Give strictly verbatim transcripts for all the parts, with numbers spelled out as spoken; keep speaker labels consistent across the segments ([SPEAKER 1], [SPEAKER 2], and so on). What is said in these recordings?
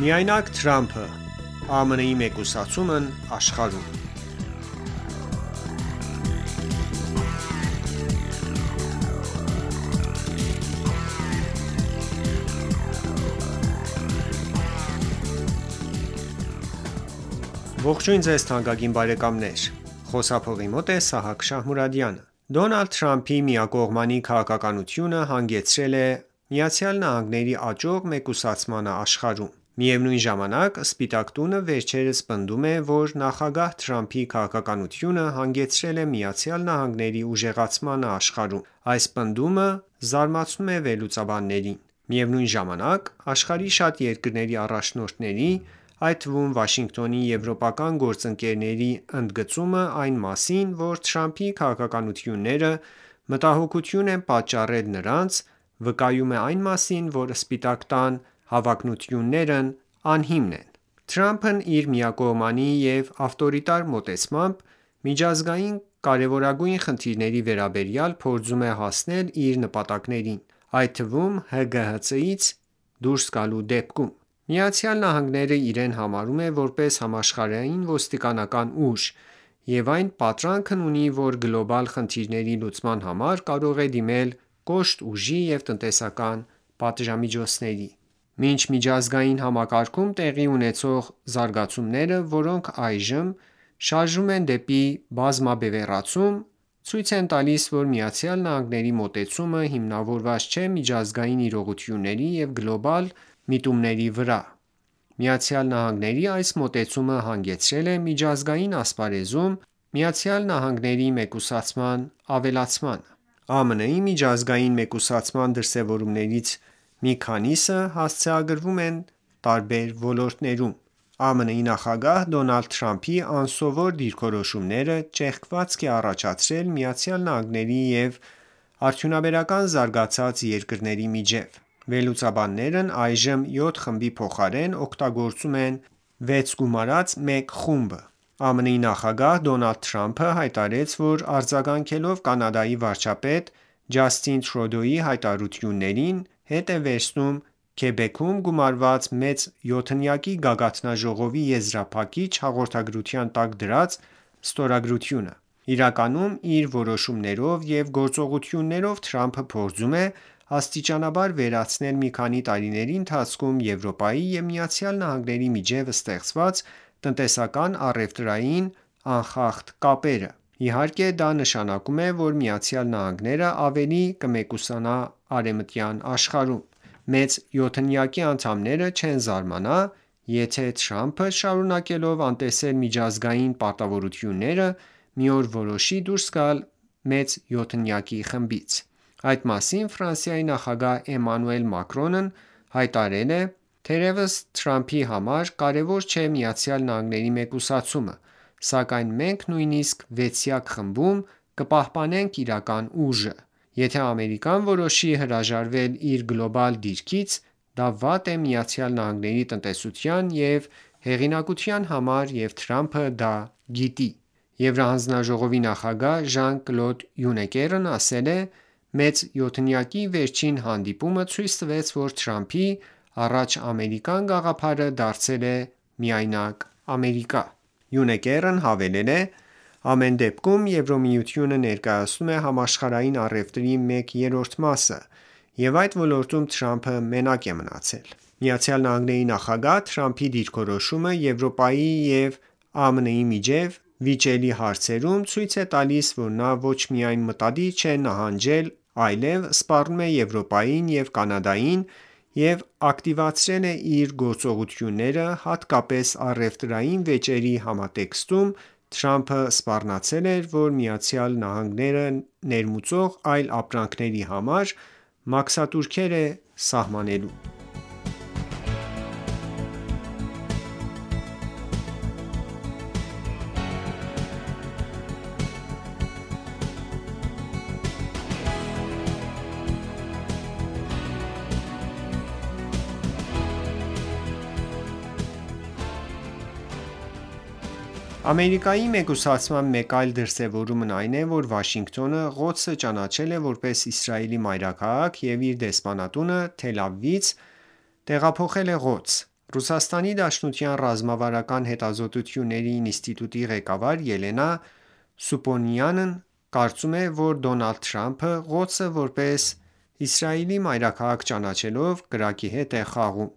[SPEAKER 1] Միայնակ Թրամփը՝ ԱՄՆ-ի մեկուսացումն աշխարհում Ողջույն ձեզ թանկագին բարեկամներ: Խոսափողի մոտ է Սահակ Շահմուրադյանը: Դոնալդ Թրամփի միակողմանի քաղաքականությունը հանգեցրել է ԱՄՆ-ի աճող մեկուսացմանը աշխարհում: Միևնույն ժամանակ, Սպիտակ տունը վերջերս պնդում է, որ նախագահ Թրամփի քաղաքականությունը հանգեցրել է ԱՄՆ-ի ուժեղացմանը աշխարհում: Այս պնդումը զարմացնում է վերլուծաբաններին: Միևնույն ժամանակ, աշխարհի շատ երկրների առաջնորդների, այդ թվում Վաշինգտոնի եվրոպական գործընկերների ընդգծումը այն մասին, որ Թրամփի քաղաքականությունները մտահոգություն են պատճառել նրանց, վկայում է այն մասին, որ Սպիտակ տան հավակնություններն ահիմն են: Թրամփն իր միակողմանի և ավտորիտար մոտեցմամբ, միջազգային կարևորագույն խնդիրների վերաբերյալ փորձում է հասնել իր նպատակներին, այդ թվում ՀԳՀԾ-ից դուրս գալու դեպքում: ԱՄՆ-ն իրեն համարում է որպես համաշխարհային ոստիկանական ուժ և այն պատրանքն ունի, որ գլոբալ խնդիրների լուծման համար կարող է դիմել կոշտ ուժի և տնտեսական պատժամիջոցների: Մինչ միջազգային համակարգում տեղի ունեցող զարգացումները, որոնք այժմ շարժվում են դեպի բազմաբևեռացում, ցույց են տալիս, որ ԱՄՆ-ի մոտեցումը հիմնավորված չէ միջազգային իրողությունների և գլոբալ միտումների վրա: ԱՄՆ-ի այս մոտեցումը հանգեցրել է միջազգային ասպարեզում ԱՄՆ-ի մեկուսացման ավելացմանը: ԱՄՆ-ի միջազգային մեկուսացման դրսևորումներից մի քանիսը հասցեագրվում են տարբեր ոլորտներում: ԱՄՆ-ի նախագահ Դոնալդ Թրամփի անսովոր դիրքորոշումները ճեղքվածք է առաջացրել ԱՄՆ-ի և արդյունաբերական զարգացած երկրների միջև: Վերլուծաբաններն այժմ յոթ խմբի փոխարեն օգտագործում են վեց գումարած մեկ խումբ: ԱՄՆ-ի նախագահ Դոնալդ Թրամփը հայտարարեց, որ արձագանքելով Կանադայի վարչապետ Ջաստին Թրուդոյի հայտարարություններին, հետ է վերցնում Քեբեքում գումարված մեծ յոթնյակի գագաթնաժողովի եզրափակիչ հաղորդագրության տակ դրած ստորագրությունը: Իրականում, իր որոշումներով և գործողություններով Թրամփը փորձում է աստիճանաբար վերացնել մի քանի տարիների ընթացքում Եվրոպայի և ԱՄՆ-ի միջև ստեղծված տնտեսական-առևտրային անխախտ կապերը: Իհարկե դա նշանակում է, որ ԱՄՆ-ն ավելի կմեկուսանա արևմտյան աշխարհում: Մեծ յոթնյակի անդամները չեն զարմանա, եթե Թրամփը շարունակելով անտեսել միջազգային պարտավորությունները, մի օր որոշի դուրս գալ մեծ յոթնյակի խմբից: Այդ մասին Ֆրանսիայի նախագահ Էմանուել Մակրոնն հայտարարել է. «Թերևս Թրամփի համար կարևոր չէ ԱՄՆ-ի մեկուսացումը, սակայն մենք նույնիսկ վեցյակ խմբում կպահպանենք իրական ուժը: Եթե Ամերիկան որոշի հրաժարվել իր գլոբալ դիրքից, դա վատ է ԱՄՆ-ի տնտեսության և հեղինակության համար և Թրամփը դա գիտի»: Եվրահանձնաժողովի նախագահ Ժան-Կլոդ Յունկերն ասել է. «Մեծ յոթնյակի վերջին հանդիպումը ցույց տվեց, որ Թրամփի առաջ ամերիկյան գաղափարը դարձել է միայնակ Ամերիկա»: Յունկերն հավելել է. «Ամեն դեպքում, Եվրամիությունը ներկայացնում է համաշխարհային առևտրի մեկ երրորդ մասը, և այդ ոլորտում Թրամփը մենակ է մնացել»: ԱՄՆ նախագահ Թրամփի դիրքորոշումը Եվրոպայի և ԱՄՆ-ի միջև վիճելի հարցերում ցույց է տալիս, որ նա ոչ միայն մտադիր չէ նահանջել, այլև սպառնում է Եվրոպային և Կանադային և ակտիվացրել է իր գործողությունները հատկապես առևտրային վեճերի համատեքստում: Թրամփը սպառնացել էր, որ ԱՄՆ-ը ներմուծող այլ ապրանքների համար մաքսատուրքեր է սահմանելու: Ամերիկայի մեկուսացման մեկ այլ դրսևորումն այն է, որ Վաշինգտոնը Ղոդսը ճանաչել է որպես Իսրայելի մայրաքաղաք և իր դեսպանատունը Թել Ավիվից տեղափոխել է Ղոդս: Ռուսաստանի Դաշնության ռազմավարական հետազոտությունների ինստիտուտի ղեկավար Ելենա Սուպոնյանն կարծում է, որ Դոնալդ Թրամփը Ղոդսը որպես Իսրայելի մայրաքաղաք ճանաչելով կրակի հետ է խաղում։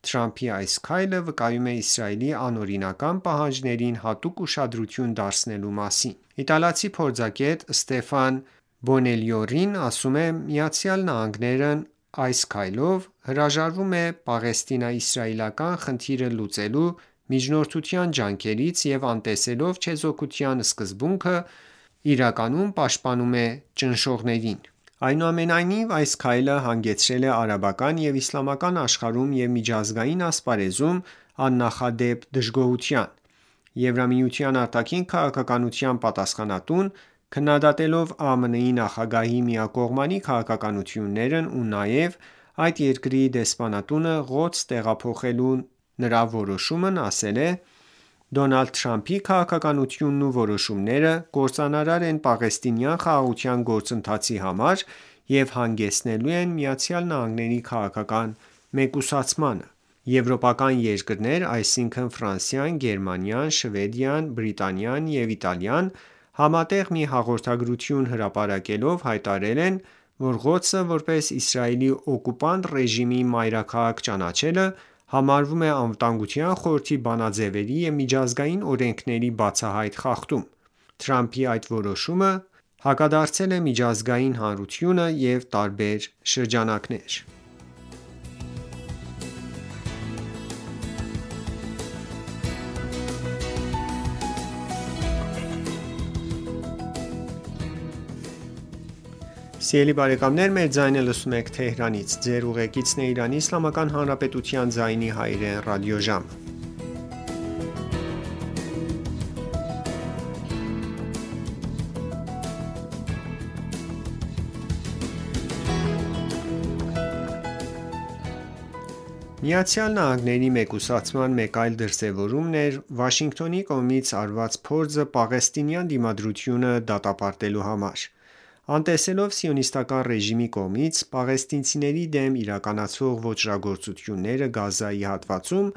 [SPEAKER 1] Թրամփի այս քայլը վկայում է Իսրայելի անօրինական պահանջներին հատուկ ուշադրություն դարձնելու մասին։ Իտալացի փորձագետ Ստեֆան Բոնելյորին ասում է. «Միացյալ Նահանգներն այս քայլով հրաժարվում է պաղեստինա-իսրայելական խնդիրը լուծելու միջնորդության ջանքերից և անտեսելով չեզոքության սկզբունքը, իրականում պաշտպանում է ճնշողներին»։ Այնուամենայնիվ, այս քայլը հանգեցրել է արաբական և իսլամական աշխարհում և միջազգային ասպարեզում աննախադեպ դժգոհության։ Եվրամիության արտաքին քաղաքականության պատասխանատուն, քննադատելով ԱՄՆ-ի նախագահի միակողմանի քաղաքականություններն ու նաև այդ երկրի դեսպանատունը Ղոդս տեղափոխելու նրա որոշումն, ասել է. «Դոնալդ Թրամփի քաղաքականությունն ու որոշումները կործանարար են պաղեստինյան խաղաղության գործընթացի համար և հանգեցնելու են ԱՄՆ-ի քաղաքական մեկուսացմանը»։ Եվրոպական երկրներ, այսինքն Ֆրանսիան, Գերմանիան, Շվեդիան, Բրիտանիան և Իտալիան համատեղ մի հաղորդագրություն հրապարակելով հայտարարել են, որ Ղոդսը որպես Իսրայելի օկուպանտ ռեժիմի մայրաքաղաք ճանաչելը համարվում է Անվտանգության խորհրդի բանաձևերի և միջազգային օրենքների բացահայտ խախտում։ Թրամփի այդ որոշումը հակադարձել է միջազգային հանրությանը և տարբեր շրջանակներ։ Միացյալ Նահանգների մեկուսացման մեկ այլ դրսևորումն էր Վաշինգտոնի կողմից արված փորձը պաղեստինյան դիմադրությունը դատապարտելու համար։ Անտեսելով սիոնիստական ռեժիմի կողմից պաղեստինցիների դեմ իրականացվող ոճրագործությունները Գազայի հատվածում,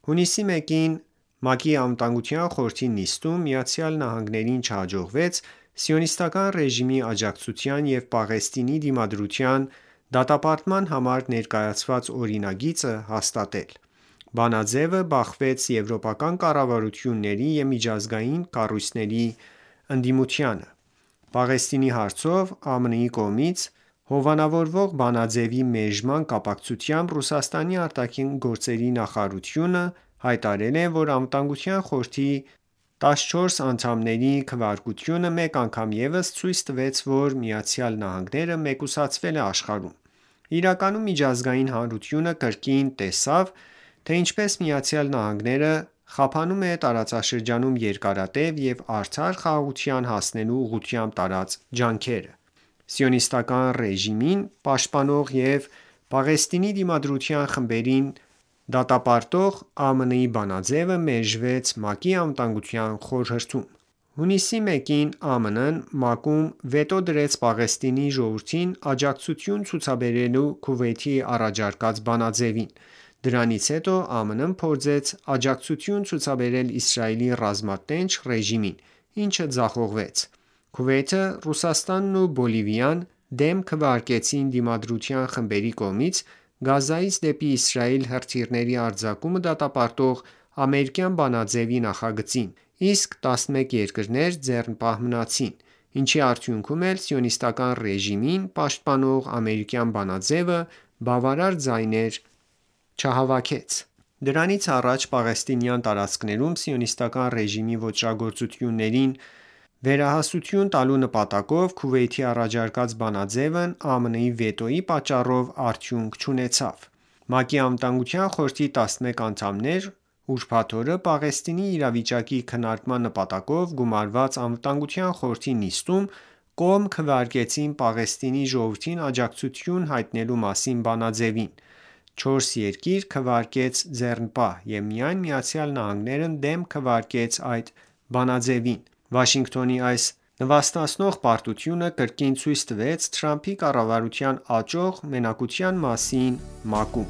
[SPEAKER 1] հունիսի մեկին ՄԱԿ-ի Անվտանգության խորհրդի նիստում ԱՄՆ-ին չհաջողվեց սիոնիստական ռեժիմի աջակցության և Պաղեստինի դիմադրության դատապարտման համար ներկայացված օրինագիծը հաստատել։ Բանաձևը բախվեց եվրոպական կառավարությունների և միջազգային կառույցների ընդդիմությանը։ Պաղեստինի հարցով ԱՄՆ-ի կողմից հովանավորվող բանաձեւի մերժման կապակցությամբ Ռուսաստանի արտաքին գործերի նախարարությունը հայտարարել է, որ Անվտանգության խորհրդի տասնչորս անդամների քվեարկությունը մեկ անգամ ևս ցույց տվեց, որ ԱՄՆ-ը մեկուսացվել է աշխարհում։ Իրականում միջազգային հանրությունը կրկին տեսավ, թե ինչպես ԱՄՆ-ը խափանում է տարածաշրջանում երկարատև և արդար խաղաղության հասնելու ուղղությամբ տարած ջանքերը։ Սիոնիստական ռեժիմին պաշտպանող և Պաղեստինի դիմադրության խմբերին դատապարտող ԱՄՆ-ի բանաձևը մերժվեց ՄԱԿ-ի Անվտանգության խորհրդում։ Հունիսի մեկին ԱՄՆ-ն ՄԱԿ-ում վետո դրեց Պաղեստինի ժողովրդին աջակցություն ցուցաբերելու Քուվեյթի առաջարկած բանաձևին։ Դրանից հետո ԱՄՆ-ն փորձեց աջակցություն ցուցաբերել Իսրայելի ռազմատենչ ռեժիմին, ինչը ձախողվեց։ Քուվեյթը, Ռուսաստանն ու Բոլիվիան դեմ քվեարկեցին Դիմադրության խմբերի կողմից Գազայից դեպի Իսրայել հրթիռների արձակումը դատապարտող ամերիկյան բանաձեւի նախագծին, իսկ տասնմեկ երկրներ ձեռնպահ մնացին, ինչի արդյունքում էլ Սիոնիստական ռեժիմին պաշտպանող ամերիկյան բանաձևը բավարար ձայներ չհավաքեց։ Դրանից առաջ պաղեստինյան տարածքներում սիոնիստական ռեժիմի ոճրագործություններին վերահասություն տալու նպատակով Քուվեյթի առաջարկած բանաձևն ԱՄՆ-ի վետոյի պատճառով արդյունք չունեցավ։ ՄԱԿ-ի Անվտանգության խորհրդի տասնմեկ անդամներ ուրբաթ օրը Պաղեստինի իրավիճակի քննարկման նպատակով գումարված Անվտանգության խորհրդի նիստում կողմ քվեարկեցին Պաղեստինի ժողովրդին աջակցություն հայտնելու մասին բանաձևին։ Չորս երկիր քվեարկեց ձեռնպահ, և միայն ԱՄՆ-ն դեմ քվեարկեց այդ բանաձևին։ Վաշինգտոնի այս նվաստացնող պարտությունը կրկին ցույց տվեց Թրամփի կառավարության աճող մենակության մասին ՄԱԿ-ում։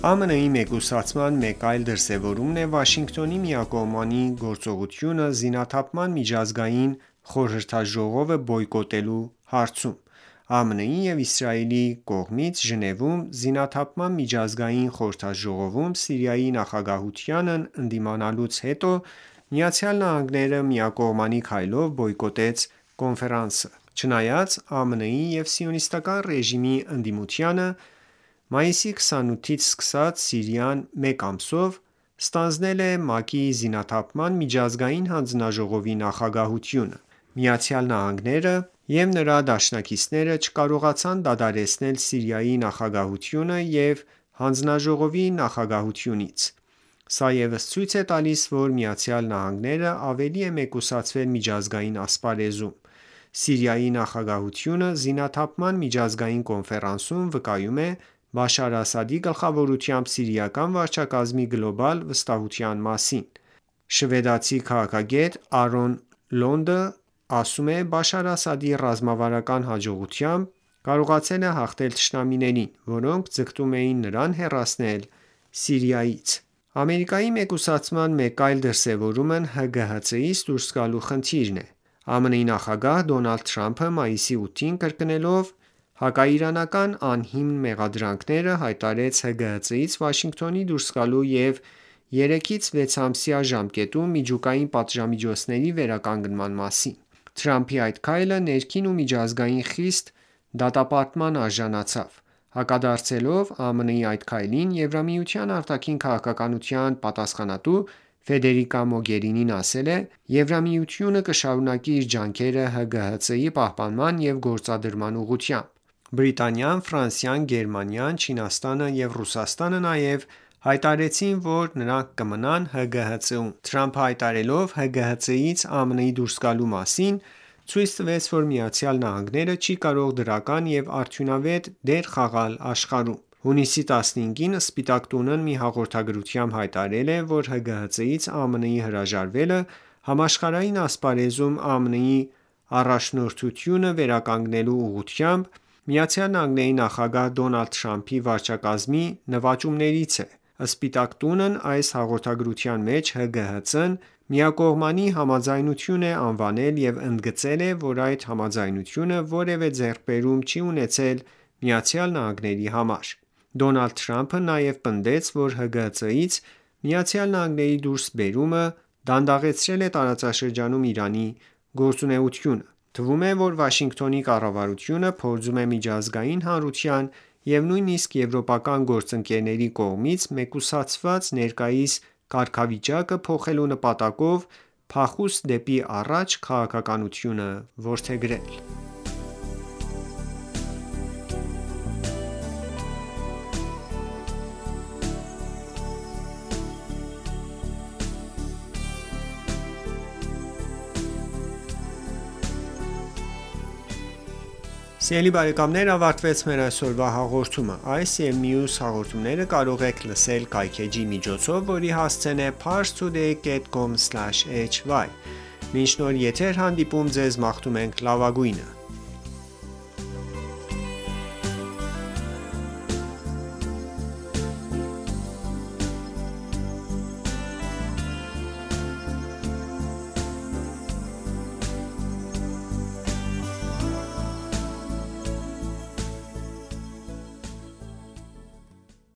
[SPEAKER 1] ԱՄՆ-ի մեկուսացման մեկ այլ դրսևորումն է Վաշինգտոնի միակողմանի գործողությունը զինաթափման միջազգային խորհրդաժողովը բոյկոտելու հարցում։ ԱՄՆ-ի և Իսրայելի կողմից Ժնևում զինաթափման միջազգային խորհրդաժողովում Սիրիայի նախագահությանն ընդդիմանալուց հետո ԱՄՆ-ը միակողմանի քայլով բոյկոտեց կոնֆերանսը։ Չնայած ԱՄՆ-ի և Սիոնիստական ռեժիմի ընդդիմությանը, մայիսի քսանութից սկսած Սիրիան մեկ ամսով ստանձնել է ՄԱԿ-ի Զինաթափման միջազգային հանձնաժողովի նախագահությունը։ ԱՄՆ-ը և նրա դաշնակիցները չկարողացան դադարեցնել Սիրիայի նախագահությունը և հանձնաժողովի նախագահությունից։ Սա ևս ցույց է տալիս, որ ԱՄՆ-ն ավելի է մեկուսացվել միջազգային ասպարեզում։ Սիրիայի նախագահությունը Զինաթափման միջազգային կոնֆերանսում վկայում է Բաշար Ասադի գլխավորությամբ սիրիական վարչակարգի գլոբալ վստահության մասին։ Շվեդացի քաղաքագետ Արոն Լոնդը ասում է. «Բաշար Ասադի ռազմավարական հաջողությամբ կարողացել է հաղթել թշնամիներին, որոնք ձգտում էին նրան հեռացնել Սիրիայից»։ Ամերիկայի մեկուսացման մեկ այլ դրսևորումն ՀԳՀԾ-ից դուրս գալու խնդիրն է։ ԱՄՆ նախագահ Դոնալդ Թրամփը մայիսի ութին կրկնելով հակաիրանական անհիմն մեղադրանքները, հայտարարեց ՀԳՀԾ-ից Վաշինգտոնի դուրս գալու և երեքից վեց ամսյա ժամկետում միջուկային պատժամիջոցների վերականգնման մասին։ Թրամփի այդ քայլը ներքին ու միջազգային խիստ դատապարտման արժանացավ։ Հակադարձելով ԱՄՆ-ի այդ քայլին, Եվրամիության արտաքին քաղաքականության պատասխանատու Ֆեդերիկա Մոգերինին ասել է. «Եվրամիությունը կշարունակի իր ջանքերը ՀԳՀԾ-ի պահպանման և գործադրման ուղղությամբ»։ Բրիտանիան, Ֆրանսիան, Գերմանիան, Չինաստանը և Ռուսաստանը նաև հայտարարեցին, որ նրանք կմնան ՀԳՀԾ-ում։ Թրամփը հայտարարելով ՀԳՀԾ-ից ԱՄՆ-ի դուրս գալու մասին, ցույց տվեց, որ ԱՄՆ-ը չի կարող դրական և արդյունավետ դեր խաղալ աշխարհում։ Հունիսի տասնհինգին Սպիտակ տունն մի հաղորդագրությամբ հայտարարել է, որ ՀԳՀԾ-ից ԱՄՆ-ի հրաժարվելը համաշխարհային ասպարեզում ԱՄՆ-ի առաջնորդությունը վերականգնելու ուղղությամբ ԱՄՆ նախագահ Դոնալդ Թրամփի վարչակարգի նվաճումներից է։ Սպիտակ տունն այս հաղորդագրության մեջ ՀԳՀԾ-ն միակողմանի համաձայնություն է անվանել և ընդգծել է, որ այդ համաձայնությունը որևէ ձեռքբերում չի ունեցել ԱՄՆ-ի համար։ Դոնալդ Թրամփը նաև պնդեց, որ ՀԳՀԾ-ից ԱՄՆ-ի դուրսբերումը դանդաղեցրել է տարածաշրջանում Իրանի գործունեությունը։ Թվում է, որ Վաշինգտոնի կառավարությունը փորձում է միջազգային հանրության և նույնիսկ եվրոպական գործընկերների կողմից մեկուսացված ներկայիս կարգավիճակը փոխելու նպատակով փախուստ դեպի առաջ քաղաքականությունը որդեգրել։ Սիրելի բարեկամներ, ավարտվեց մեր այսօրվա հաղորդումը։ Այս և մյուս հաղորդումները կարող եք լսել կայքէջի միջոցով, որի հասցեն է parstoday dot com slash hy: Մինչ նոր եթեր հանդիպում ձեզ մաղթում ենք լավագույնը։